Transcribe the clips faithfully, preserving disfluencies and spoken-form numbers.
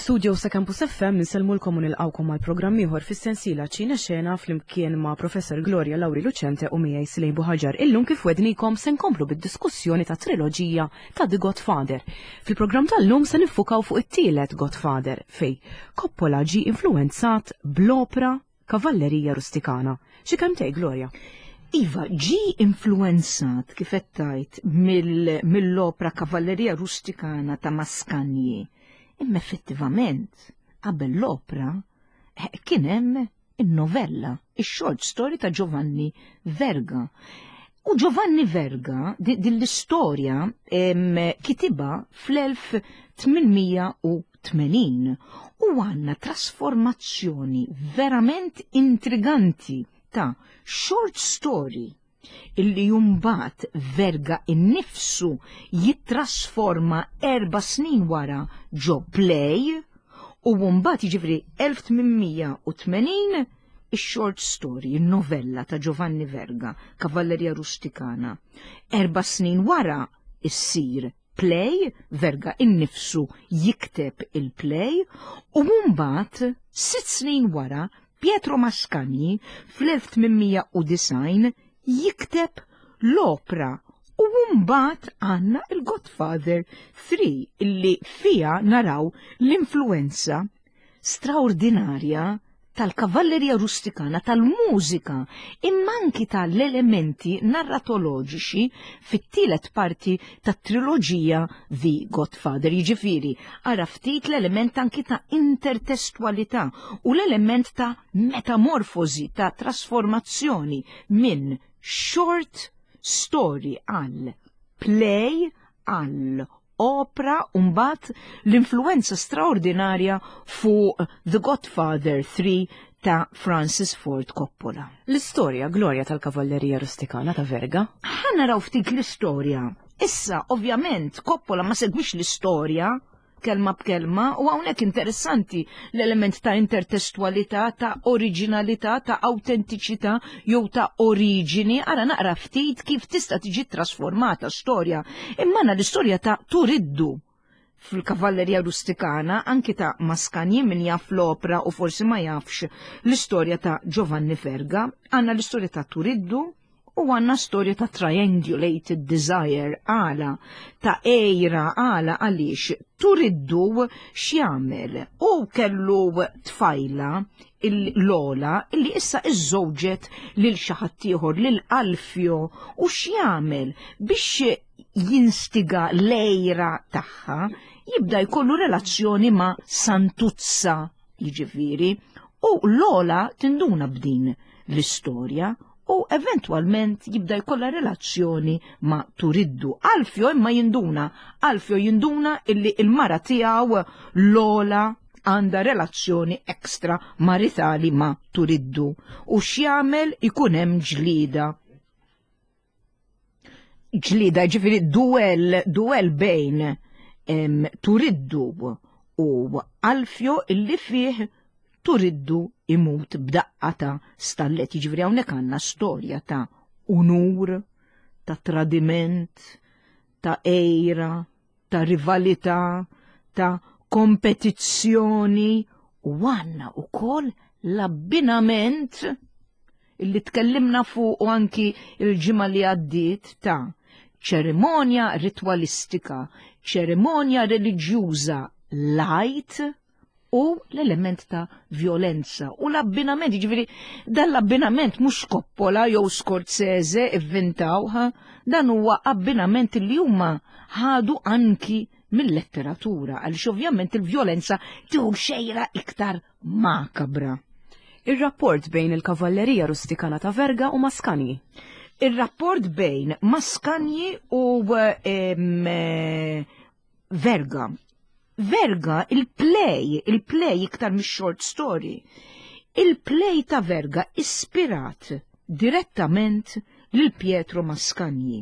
Mill-istudio sa' Campus F M insellmulkom u nilqgħukom għal programm ieħor fis-sensiela Ċine Xena flimkien ma' Professor Gloria Lauri Lucente u miegħi Silej Buħaġar. Illum, kif wegħedniekom, se nkomplu bid-diskussjoni ta' triloġija ta' The Godfather. Fil-programm tal-lum se niffukaw fuq it-tielet Godfather, fejn Coppola ġi influenzat bl-opra Kavallerija Rustikana. Xi kemm tgħid, Gloria? Iva, ġi influenzat, kif qed mill-opra Kavallerija Rustikana ta' Mascagni. Imma effettivament, qabel l-opra, eh, kien hemm in-novella, ix-short story ta' Giovanni Verga. U Giovanni Verga, din l-istorja kitibha fl-elf tmien mija u tmenin u għandna trasformazzjoni verament intriganti ta' short story illi imbagħad Verga innifsu jittrasforma erba' snin wara ġo play u mbagħad, jiġifieri elf tmien mija u tmenin ix-short story, il-novella ta' Giovanni Verga, Kavallerija Rustikana. Erba' snin wara issir play, Verga innifsu jikteb il-play u mbagħad sitt snin wara Pietro Mascagni fl-elf tmien mija u disgħin jikteb l-opra u mbagħad għandna il-Godfather tlieta illi fija naraw l-influenza straordinarja tal-kavallerija rustikana, tal-mużika, imma anki tal-elementi narratoloġiċi fit-tielet parti tat-triloġija The Godfather. Jiġifieri, ara ftit l-element anki ta' intertestualità u l-element ta' metamorfosi, ta' trasformazzjoni minn short story għal play għal opra u mbagħad l-influenza straordinarja fuq The Godfather tlieta ta' Francis Ford Coppola. L-istorja, Gloria, tal-Kavallerija Rustikana ta' Verga? Ħa naraw ftit l-istorja. Issa, ovvjament, Coppola ma segwix l-istorja kelma b'kelma u hawnhekk interessanti l-element ta' intertestualità, ta' oriġinalità, ta' autentiċità jew ta' oriġini. Ara naqra ftit kif tista' tiġi trasformata storja. Imma l-istorja ta' Turiddu fil-Kavallerija Rustikana, anki ta' Mascagni, min jaf l-opra u forsi ma jafx l-istorja ta' Giovanni Verga, għandna l-istorja ta' Turiddu u għandna storja ta' triangulated desire, għala, ta' għira, għala, għaliex Turiddu x'jagħmel? U kellu tfajla, il-Lola, illi issa iżżewġet lil xi ħadd ieħor, lil Alfio, u x'jagħmel biex jinstiga l-għira tagħha? Jibda jkollu relazzjoni ma' Santuzza, jiġifieri, u Lola tinduna b'din l-istorja u eventwalment jibda jkollha relazzjoni ma' Turiddu. Alfio imma jinduna, Alfio jinduna illi il-mara tiegħu Lola għandha relazzjoni ekstra maritali ma' Turiddu. U x'jagħmel? Ikun hemm ġlida. Ġlida, ġifieri duel, duel bejn em, Turiddu u Alfio illi fih Turiddu imut b'daqqa ta' stallet. Jiġifieri hawnhekk għandna storja ta' unur, ta' tradiment, ta' għira, ta' rivalità, ta' kompetizzjoni u għandna ukoll l-abbinament illi tkellimna fuq u anki il-ġimgħa li għaddiet ta' ċerimonja ritwalistika, ċerimonja reliġjuża light u l-element ta' violenza u l-abbinament, ġifieri dan l-abbinament mhux Coppola jew Scorsese ivvintawha, dan huwa abbinament li huma ħadu anki mill-letteratura, għaliex ovvjament il-violenza tieħu xejra iktar makabra. Ir-rapport bejn il-Kavallerija Rustikana ta' Verga u Mascagni. Ir-rapport bejn Mascagni u em, eh, Verga. Verga, il-play, il-play iktar mix short story. Il-play ta' Verga ispirat direttament lil Pietro Mascagni.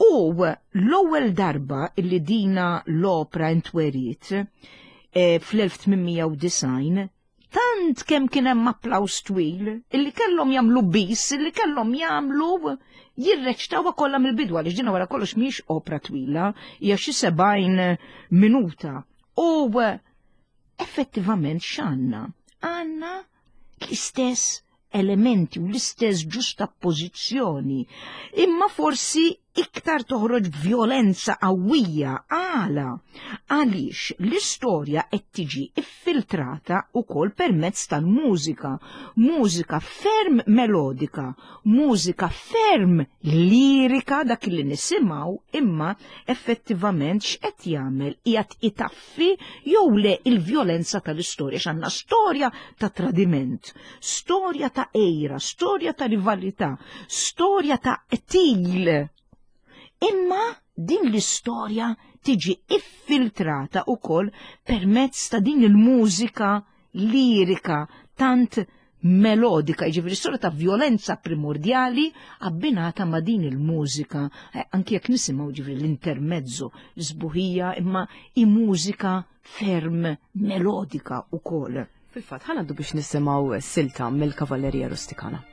U l-ewwel darba illi dina l-opra intweriet eh, fl-elf tmien mija u disgħin, tant kemm kien hemm applaws twil illi kellhom jagħmlu bis, illi kellhom jagħmlu jirreċtawha kollha mill-bidu, għaliex dina wara kollox mhix opra twila, hija xi sebgħin minuta. U Effettivament x'għandna? Għandna l-istess elementi u l-istess ġustappożizzjoni, imma forsi iktar toħroġ violenza qawwija. Għala? Għaliex l-istorja qed tiġi iffiltrata wkoll permezz tal-mużika, mużika ferm melodika, mużika ferm lirika, dak li nisimgħu, imma effettivament x'qed jagħmel? Qiegħed itaffi jew le il-vjolenza tal-istorja. X'għandna? Storja ta' tradiment, storja ta' għira, storja ta' rivalità, storja ta' qtil. Imma din l-istorja tiġi iffiltrata wkoll permezz ta' din il-mużika lirika tant melodika, jiġifieri storja ta' violenza primordjali abbinata ma' din il-mużika, eh, anki jekk nisimgħu ġifieri l-intermezzo, l-sbuħija, imma i mużika ferm melodika wkoll. Fil-fatt, ħa ngħaddu biex nisimgħu silta mill-Kavallerija Rustikana.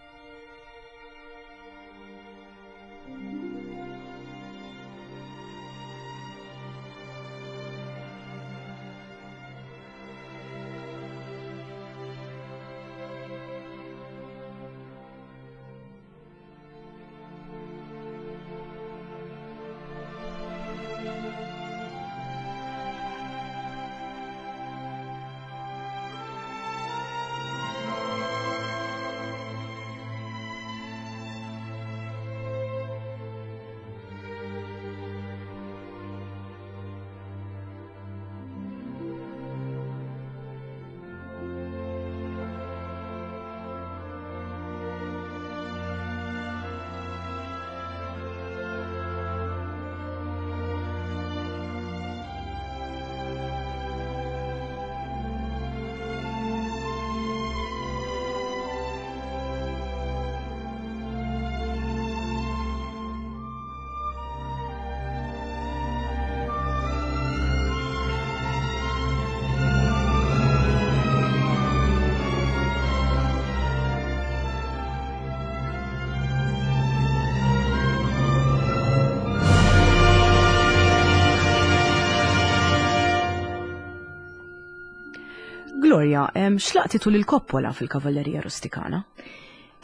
Gloria, x'laqtitu lil Coppola fil-Kavallerija Rustikana?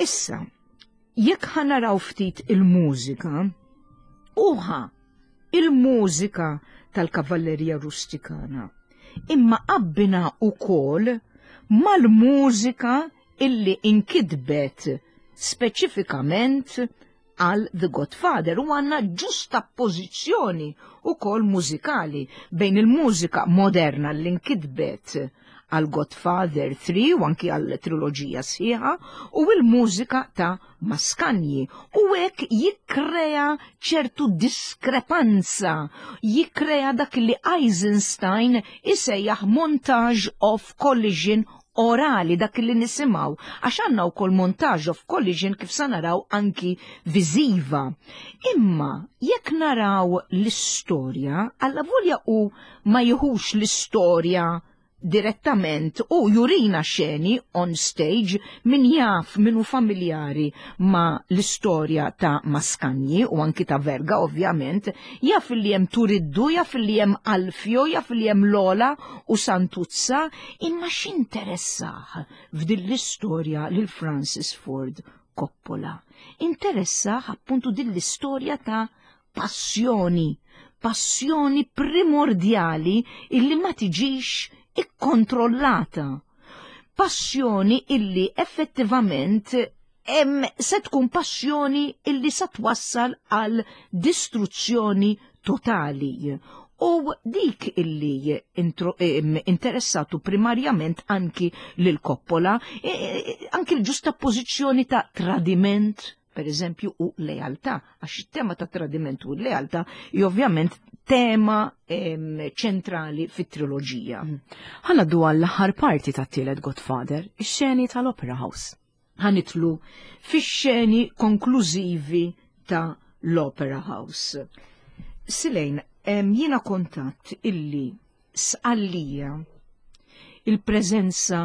Issa, jekk ħa naraw ftit il-mużika, uħa il-mużika tal-Kavallerija Rustikana, imma abbina ukoll mal-mużika illi inkitbet speċifikament għal The Godfather, u għandna ġustappożizzjoni ukoll mużikali bejn il-mużika moderna li nkitbet għal Godfather three u anki għal triloġija sħiħa u l-mużika ta' Mascagni, u hekk jikkrea ċertu diskrepanza, jikkrea dak li Eisenstein isejjaħ montage of collision orali, dak li nisimgħu, għax għandna wkoll montage of collision kif sa naraw anki viżiva. Imma jekk naraw l-istorja, allavolja u ma jieħux l-istorja direttament u jurina xeni on stage, min jaf min hu familjari ma l-istorja ta' Mascagni u anki ta' Verga ovvjament, jaf li hemm Turiddu, jaf li hemm Alfio, jaf li hemm Lola u Santuzza, imma x'interessah f'din l-istorja lil Francis Ford Coppola? Interessah appuntu din l-istorja ta' passjoni, passjoni primordjali illi ma tiġix ikkontrollata, passjoni illi effettivament em, se tkun passjoni illi se twassal għal distruzzjoni totali. U dik illi intro, em, interessatu primarjament anki lil Coppola, e, e, anki l-ġustappożizzjoni ta' tradiment, per eżempju, u lealtà, għax it-tema ta' tradiment u lealtà hi ovvjament tema ċentrali fit-triloġija. Ħa ngħaddu għall-aħħar parti tat-tielet Godfather, ix-xeni tal-Opera House. Ħa nidħlu fix-xeni konklużivi ta' l-Opera House. Silejn, jiena kontatt illi Sqallija il-preżenza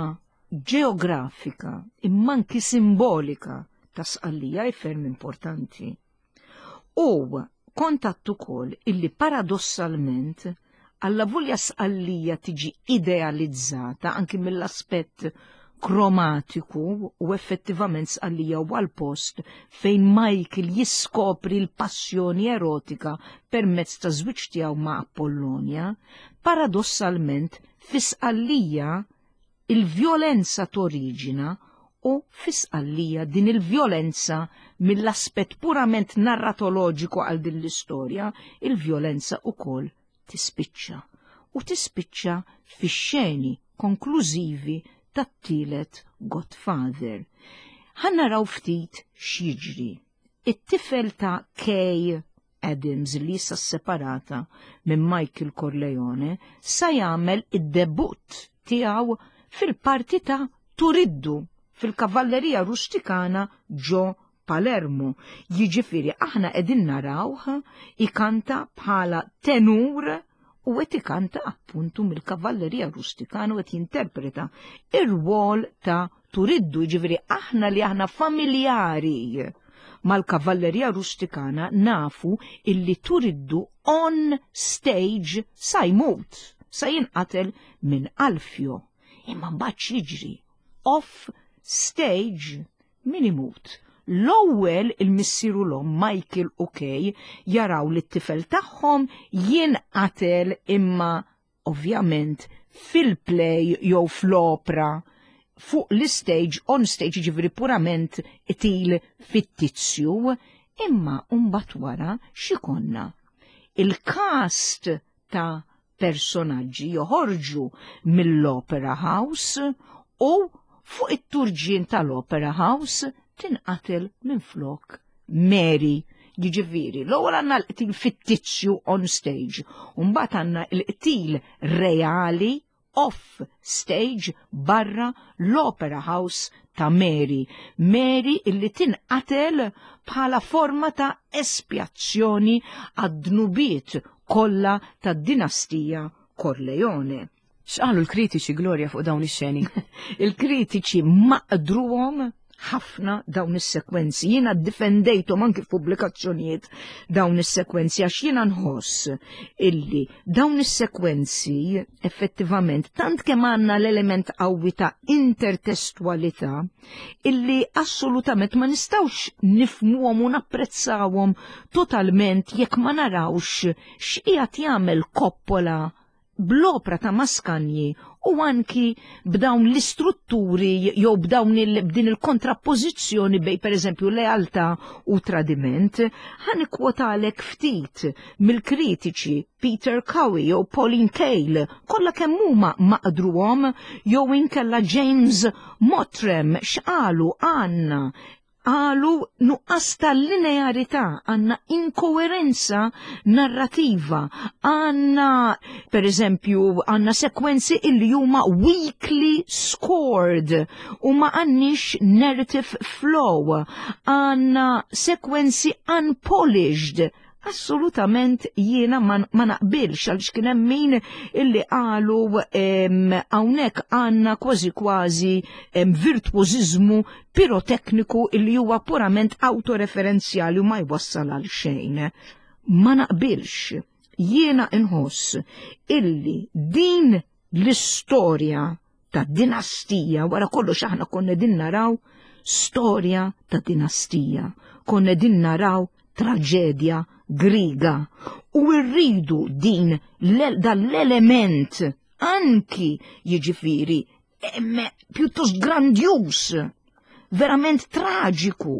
ġeografika imma anki simbolika ta' Sqallija hi ferm importanti. U kontatt ukoll illi paradossalment Allavolja Sqallija tiġi idealizzata anki mill-aspett kromatiku, u effettivament Sqallija huwa l-post fejn Michael jiskopri l-passjoni erotika permezz ta' żwieġ tiegħu ma' Apollonia, paradossalment fi Sqallija il-vjolenza toriġina u fi Sqallija din il-vjolenza, mill-aspett purament narratoloġiku għal din l-istorja, il-vjolenza ukoll tispiċċa. U tispiċċa fix-xeni konklużivi tat-tielet Godfather. Ħa naraw ftit x'jiġri. It-tifel ta' Kay Adams, li issa separata minn Michael Corleone, sa jagħmel id-debut tiegħu fil-parti ta' Turiddu fil-Kavallerija Rustikana ġo Palermo. Jiġifieri aħna qegħdin narawh ikanta bħala tenur u qed ikanta appuntu mill-Kavallerija Rustikana u qed jinterpreta ir-rwol ta' Turiddu. Jiġifieri aħna li aħna familjari mal-Kavallerija Rustikana nafu illi Turiddu on stage sa jmut, sa jinqatel minn Alfio. Imma mbagħad jiġri off stage? Min imut? L-ewwel il-missier u l-omm, Michael u Kay, jaraw li t-tifel tagħhom jinqatel, imma ovvjament fil-play jew fl-opra fuq l-stage, on stage, ġifieri purament qtil fittizju, imma mbagħad wara x'ikollna? Il-cast ta' personaġġi joħorġu mill-Opera House u fuq it-turġien tal-Opera House tinqatel minn flok Mary. Jiġifieri, l-ewwel għandna l-qtil fittizju on stage, u mbagħad għandna l-qtil reali off stage barra l-Opera House ta' Mary. Mary illi tinqatel bħala forma ta' espjazzjoni għad-dnubiet kollha tad-dinastija Corleone. X'qalu l-kritiċi, Gloria, fuq dawn ix-xeni? Il-kritiċi maqdruhom ħafna dawn is-sekwenzi. Jiena ddefendejthom anki f'pubblikazzjonijiet dawn is-sekwenzi, għax jiena nħoss illi dawn is-sekwenzi effettivament tant kemm għandna l-element qawwi ta' intertestualità illi assolutament ma nistgħux nifhmuhom u napprezzawhom totalment jekk ma narawx x'qiegħed jagħmel Coppola bl-opra ta' Mascagni u anki b'dawn l-istrutturi jew b'dawn il b'din il-kontrappożizzjoni bejn, per eżempju, lealtà u tradiment. Ħa nikkwotalek ftit mill-kritiċi, Peter Cowie jew Pauline Kael, kollha kemm huma maqdruhom, jew inkella James Mottram. X'qalu? Għandna, qalu, nuqqas ta' linearità, għandna inkoerenza narrativa, għandna, per eżempju, għandna sekwenzi illi huma weakly scored u ma għandniex narrative flow, għandna sekwenzi unpolished. Assolutament jiena ma, ma naqbilx, għaliex kien hemm min illi qalu hawnhekk għandna kważi kważi virtuożiżmu pirotekniku illi huwa purament autoreferenzjali u ma jwassal għal xejn. Ma naqbilx. Jiena inħoss illi din l-istorja ta' dinastija, wara kollox aħna konna din naraw storja ta' dinastija, konna din naraw traġedja Griega u rridu din dal-element anki, jiġifieri, pjuttost grandjus, verament traġiku,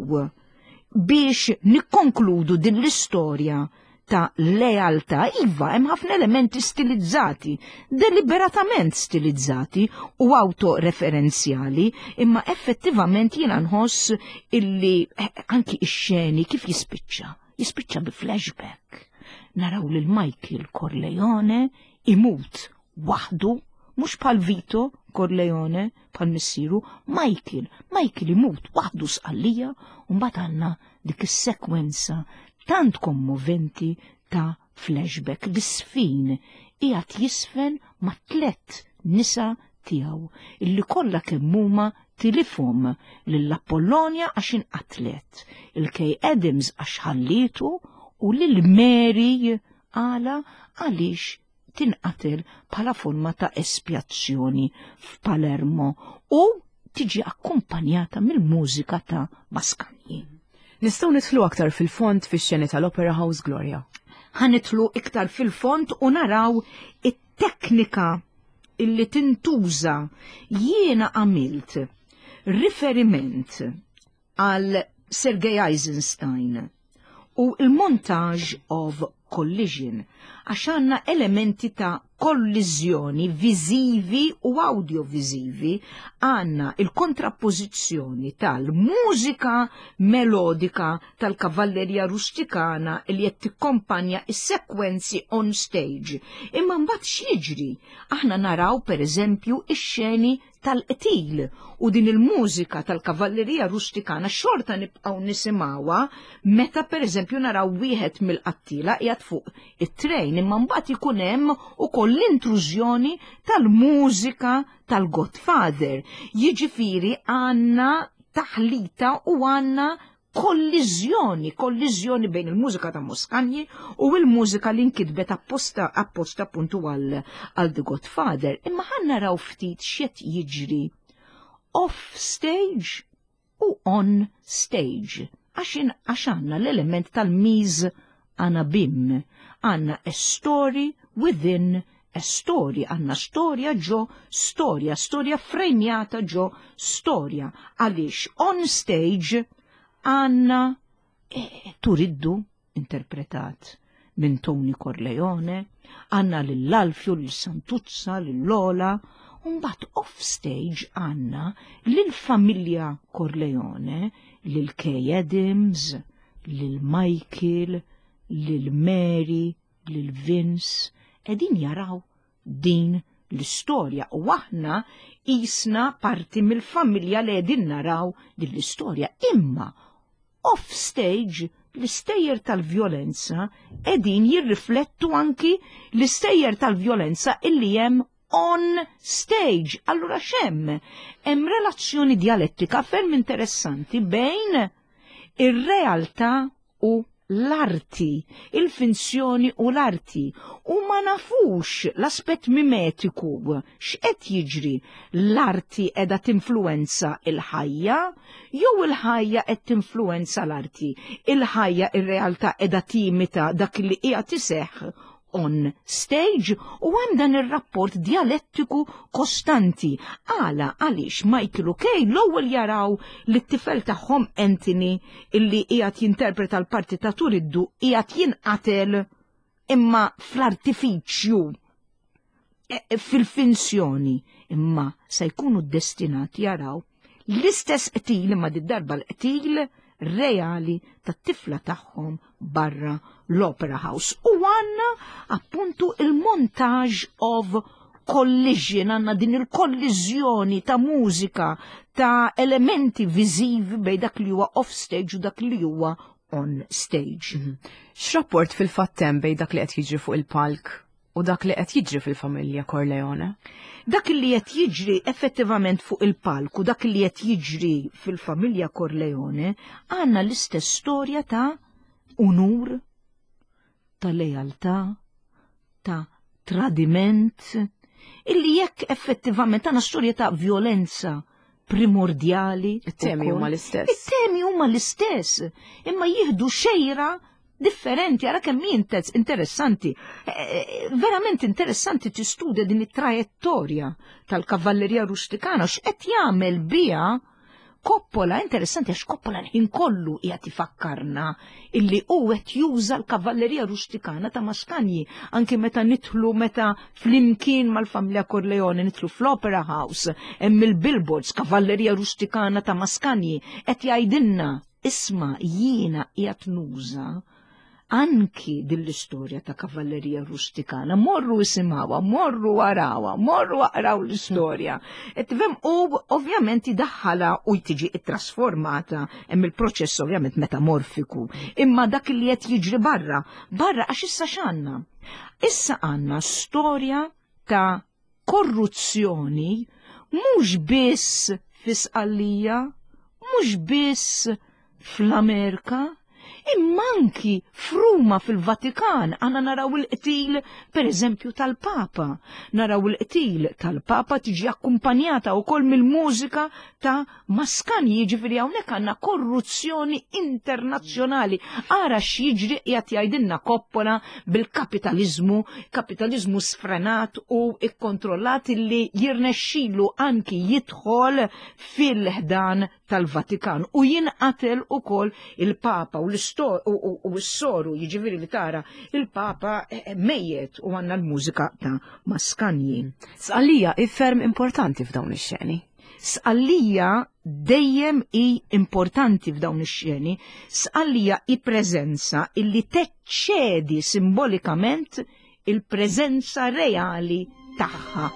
biex nikkonkludu din l-istorja ta' lealtà. Iva, hemm ħafna elementi stilizzati, deliberatament stilizzati u autoreferenzjali, imma effettivament jiena nħoss illi eh, anki ix-xeni kif jispiċċa, jispiċċa bi flashback. Naraw lil Michael Corleone imut waħdu, mhux bħal Vito Corleone, bħal missieru, Michael, Michael imut waħdu Sqallija, u mbagħad għandna dik is-sekwenza tant kommoventi ta' flashback, l-isfin qiegħed jisfen ma' tlet nisa tiegħu illi kollha kemm huma tilifhom, lil Apollonia għax inqatlet, lil Kay Adams għax ħallietu u lil Mary għala għaliex tinqatel bħala forma ta' espjazzjoni f'Palermo u tiġi akkumpanjata mill-mużika ta' Mascagni. Nistgħu nidħlu aktar fil-fond fix-xeni tal-Opera House, Gloria? Ħa nidħlu iktar fil-fond u naraw it-teknika illi tintuża. Jiena għamilt riferiment għal Sergei Eisenstein u il-montage of collision, għax għandna elementi ta' kolliżjoni viżivi u audiovisivi. Għandna il-kontrappożizzjoni tal-mużika melodika tal-kavallerija rustikana li qed tikkompanja is-sekwenzi on stage. Imma mbagħad x'jiġri? Aħna naraw, per eżempju, ix-xeni tal-qtil u din il-mużika tal-kavallerija rustikana xorta nibqgħu nisimgħuha meta, per eżempju, naraw wieħed mill-qattila qiegħed fuq it-trejn, imma mbagħad ikun hemm ukoll l-intrużjoni tal-mużika tal-Godfather. Jiġifieri għandna taħlita u għandna kolliżjoni, kolliżjoni bejn il-mużika ta' Mascagni u il-mużika li nkitbet apposta apposta appuntu għal għal The Godfather. Imma ħa naraw ftit x'qed jiġri off stage u on stage. Għax għax għandna l-element tal-mise en abyme. Għandna a story within a story, għandna storja ġo storja, storja frejmjata ġo storja. Għaliex on stage għandna e, Turiddu interpretat minn Tony Corleone, għandna l-Alfio, l-Santuzza, l-Lola, Mbagħad off stage għandna lil-familja Corleone, lil Kay Adams, lil Michael, lil Mary, lil Vince, qegħdin jaraw din l-istorja u aħna jisna parti mill-familja li qegħdin naraw din l-istorja. Imma off stage l-istejjer tal-vjolenza qegħdin jirriflettu anki l-istejjer tal-vjolenza illi hemm on stage. Allura x'hemm? Hemm relazzjoni dialettika ferm interessanti bejn ir-realtà u l-arti, il-finzjoni u l-arti, u ma nafux l-aspett mimetiku, x'qed jiġri? L-arti qiegħda tinfluenza il-ħajja, jew il-ħajja qed tinfluenza l-arti? Il-ħajja, ir-realtà qiegħda timita dak li qiegħed iseħħ on stage u hemm dan ir-rapport dialettiku kostanti. Għala għaliex Michael u Kay l-ewwel jaraw li t-tifel tagħhom Anthony, illi qiegħed jinterpreta l-parti ta' Turiddu, qiegħed jinqatel imma fl-artifiċju, e, e, fil-finzjoni, imma se jkunu destinati jaraw l-istess qtil, imma darba l-qtil reali tat-tifla tagħhom barra l-Opera House. U għandna appuntu il-montage of collision, għandna din il-kollizjoni ta' mużika, ta' elementi viżivi bejn dak li huwa off stage u dak li huwa on stage. Mm -hmm. X'rapport fil-fatt hemm bejn dak li qed jiġri fuq il-palk u dak li qed jiġri fil-familja Corleone? Dak li qed jiġri effettivament fuq il-palk u dak li qed jiġri fil-familja Corleone, għandna l-istess storja ta' unur, ta' lealtà, ta' tradiment, illi jekk effettivament għandna storja ta' violenza primordjali. It-temi huma l-istess. It-temi huma l-istess, imma jieħdu xejra differenti. Ara kemm interessanti. Eh, eh, verament interessanti tistudja din it-trajettorja tal-kavallerija rustikana, x'qed jagħmel biha Coppola. Interessanti għax Coppola l-ħin kollu qiegħed ifakkarna illi hu qed juża l-kavallerija rustikana ta' Mascagni, anke meta nidħlu, meta flimkien mal-familja Corleone nidħlu fl-Opera House, hemm il-billboards "Kavallerija Rustikana ta' Mascagni", qed jgħidilna: "Isma', jiena qiegħed nuża anki din l-istorja ta' kavallerija rustikana, morru isimgħuha, morru arawha, morru aqraw l-istorja." Et tifhem, u ovvjament idaħħala u tiġi trasformata, hemm il-proċess ovvjament metamorfiku. Imma dak li qed jiġri barra, barra għax issa x'għandna? Issa għandna storja ta' korruzzjoni mhux biss fi Sqallija, mhux biss fl-Amerika, Imma anki f'Ruma fil-Vatikan għandna naraw il-qtil per eżempju tal-Papa. Naraw il-qtil tal-Papa tiġi akkumpanjata wkoll mill-mużika ta' Mascagni, jiġifieri hawnhekk għandna korruzzjoni internazzjonali. Ara x'jiġri qiegħed jgħidilna Coppola bil-kapitaliżmu, kapitaliżmu sfrenat u ikkontrollat li jirnexxilu anki jidħol fil-ħdan tal-Vatikan u jinqatel ukoll il-Papa u u s-soru, jiġifieri li tara il-Papa mejjet u għandna l-mużika ta' Mascagni. Sqallija hi ferm importanti f'dawn ix-xeni. Sqallija dejjem hi importanti f'dawn ix-xeni. Sqallija hi preżenza illi teċċedi simbolikament il-preżenza reali tagħha.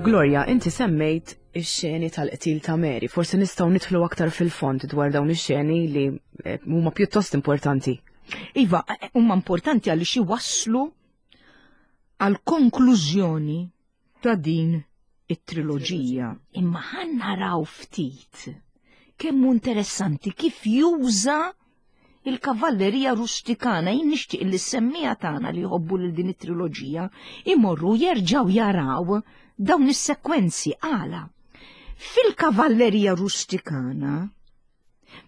Gloria, inti semmejt ix-xeni tal-qtil ta' Mary. Forsi nistgħu nidħlu aktar fil-fond dwar dawn ix-xeni li huma pjuttost importanti. Iva, huma importanti għaliex iwasslu għal konklużjoni ta' din it-triloġija. Imma ħa naraw ftit kemm hu interessanti kif juża il-kavallerija rustikana. Jien nixtieq li s-semmija tagħna li jħobbu lil din it-triloġija imorru jerġgħu jaraw dawn is-sekwenzi. Għala fil-kavallerija rustikana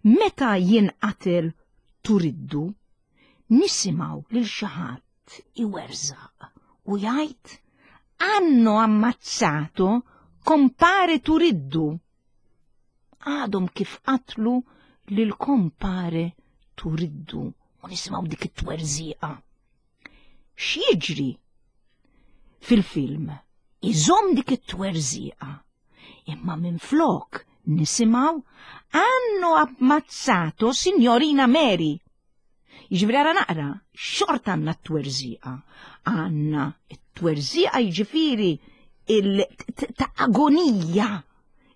meta jinqatel Turiddu nisimgħu lil xi ħadd iwerżaq u jgħid hanno ammazzato compare Turiddu. Għadhom kif qatlu lil compare Turiddu u nisimgħu dik it-twerżieqa. X'jiġri fil-film? Iżomm dik it-twerżieqa, imma minflok nisimgħu hanno ammazzato signorina Mary. Jiġifieri ara naqra, xorta għandna t-twerżieqa. Għandna t-twerżieqa jiġifieri ta' agonija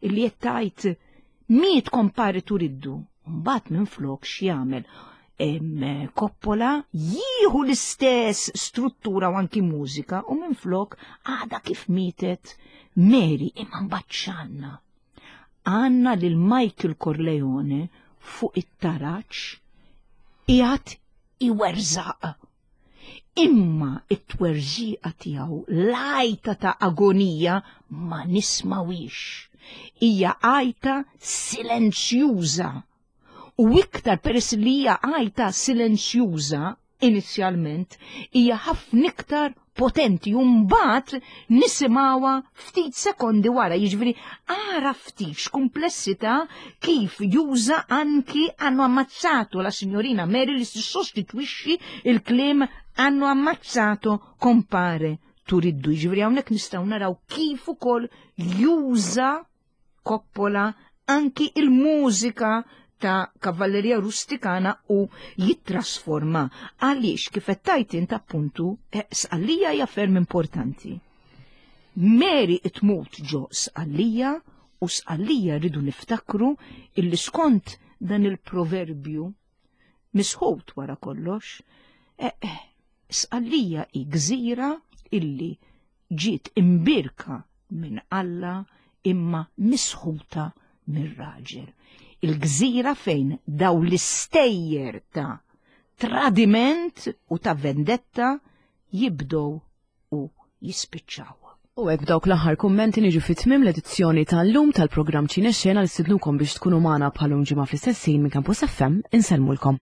illi qed tgħid miet compare Turiddu. Mbagħad minflok x'jagħmel? Coppola jieħu l-istess struttura u anki mużika u minflok għada kif mietet Mary. Imma mbagħad x'għandna? Għandna lil Michael Corleone fuq it-taraġ qiegħed iwerżaq. Imma it-twerżieqa tiegħu, l-għajta ta' agonija ma nismawix. Hija għajta silenzjuża. U iktar peress li hija għajta silenzjuża inizjalment, hija ħafna iktar potenti, u mbagħad nisimgħuha ftit sekondi wara, jiġifieri ara ftit x'kumplessità kif juża anki "hanno ammazzato la signorina Mary" li sostitwixxi il-kliem "hanno ammazzato compare Turiddu". Jiġifieri hawnhekk nistgħu naraw kif ukoll juża Coppola anki il-mużika ta' Cavalleria Rusticana u jittrasforma. Għaliex, kif qed int appuntu, eh, Sqallija hija ferm importanti. Mary tmut ġo Sqallija, u Sqallija rridu niftakru illi skont dan il-proverbju misħut wara kollox, eh, eh, Sqallija hi gżira illi ġiet imbirka minn Alla imma misħuta mir-raġel. Il-gżira fejn daw l-istejjer ta' tradiment u ta' vendetta jibdow u jispiċċaw. U hekk, b'dawk l-aħħar kummenti, niġu fi tmiem l-edizzjoni tal-lum tal-programm Ċinexxena li stidnukom biex tkunu magħna bħalum ġimgħa fl-istess ħin minn Campus F M. Insellmulkom.